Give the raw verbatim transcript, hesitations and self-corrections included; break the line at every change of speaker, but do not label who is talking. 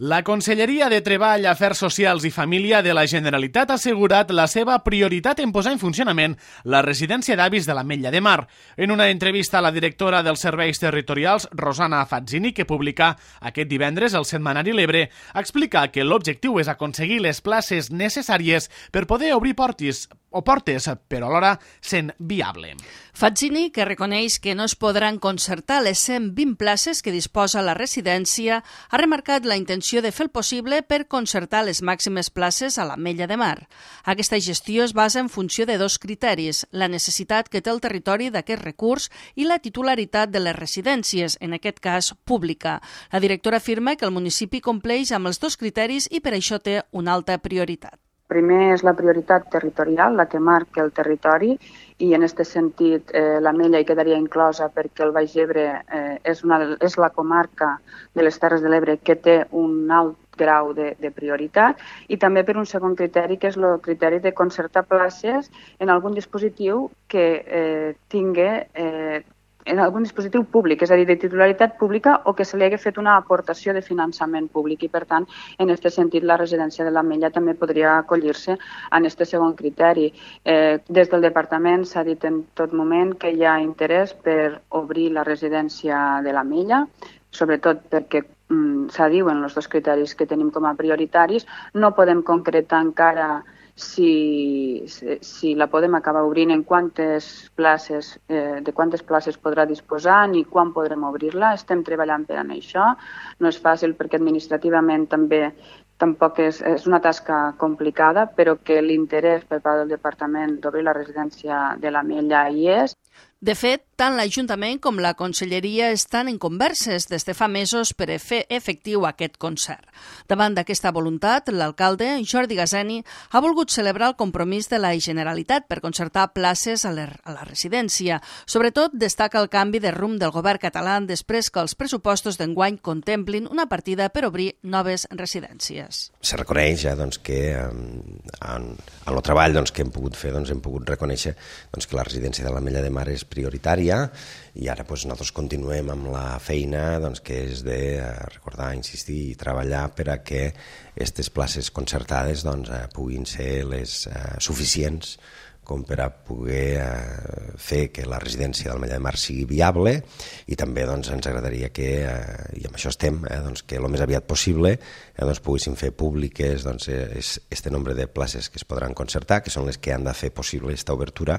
La Conselleria de Treball, Afers Socials i Família de la Generalitat ha assegurat la seva prioritat en posar en funcionament la residència d'avis de l'Ametlla de Mar. En una entrevista a la directora dels Serveis Territorials, Rosana Fazzini, que publica aquest divendres el setmanari L'Ebre, explica que l'objectiu és aconseguir les places necessàries per poder obrir portes o portes, però alhora sent viable.
Fazzini, que reconeix que no es podran concertar les cent vint places que disposa la residència, ha remarcat la intenció de fer el possible per concertar les màximes places a l'Ametlla de Mar. Aquesta gestió es basa en funció de dos criteris, la necessitat que té el territori d'aquest recurs i la titularitat de les residències, en aquest cas pública. La directora afirma que el municipi compleix amb els dos criteris i per això té una alta prioritat.
Primer és la prioritat territorial, la que marca el territori, i en aquest sentit eh, l'Ametlla hi quedaria inclosa perquè el Baix Ebre eh, és, una, és la comarca de les Terres de l'Ebre que té un alt grau de, de prioritat, i també per un segon criteri, que és el criteri de concertar places en algun dispositiu que eh, tingui eh, en algun dispositiu públic, és a dir, de titularitat pública o que se li hagi fet una aportació de finançament públic i, per tant, en aquest sentit, la residència de l'Ametlla també podria acollir-se en aquest segon criteri. Eh, des del departament s'ha dit en tot moment que hi ha interès per obrir la residència de l'Ametlla, sobretot perquè mm, s'ha dit en els dos criteris que tenim com a prioritaris. No podem concretar encara Si, si la podem acabar obrint, en quantes places, eh, de quantes places podrà disposar ni quan podrem obrir-la. Estem treballant per en això. No és fàcil perquè administrativament també tampoc és, és una tasca complicada, però que l'interès per part del departament d'obrir la residència de l'Ametlla hi és.
De fet, tant l'Ajuntament com la Conselleria estan en converses des de fa mesos per fer efectiu aquest concert. Davant d'aquesta voluntat, l'alcalde, Jordi Gazeni, ha volgut celebrar el compromís de la Generalitat per concertar places a la, a la residència. Sobretot, destaca el canvi de rumb del govern català després que els pressupostos d'enguany contemplin una partida per obrir noves residències.
Se reconeix ja doncs, que en, en el treball doncs, que hem pogut fer doncs, hem pogut reconèixer doncs, que la residència de l'Ametlla de Mar és prioritària i ara doncs, nosaltres continuem amb la feina doncs, que és de recordar, insistir i treballar per a que aquestes places concertades doncs, puguin ser les uh, suficients com per a poder eh, fer que la residència de l'Ametlla de Mar sigui viable i també doncs, ens agradaria que, eh, i amb això estem, eh, doncs, que el més aviat possible eh, doncs, poguéssim fer públiques doncs, este nombre de places que es podran concertar, que són les que han de fer possible aquesta obertura.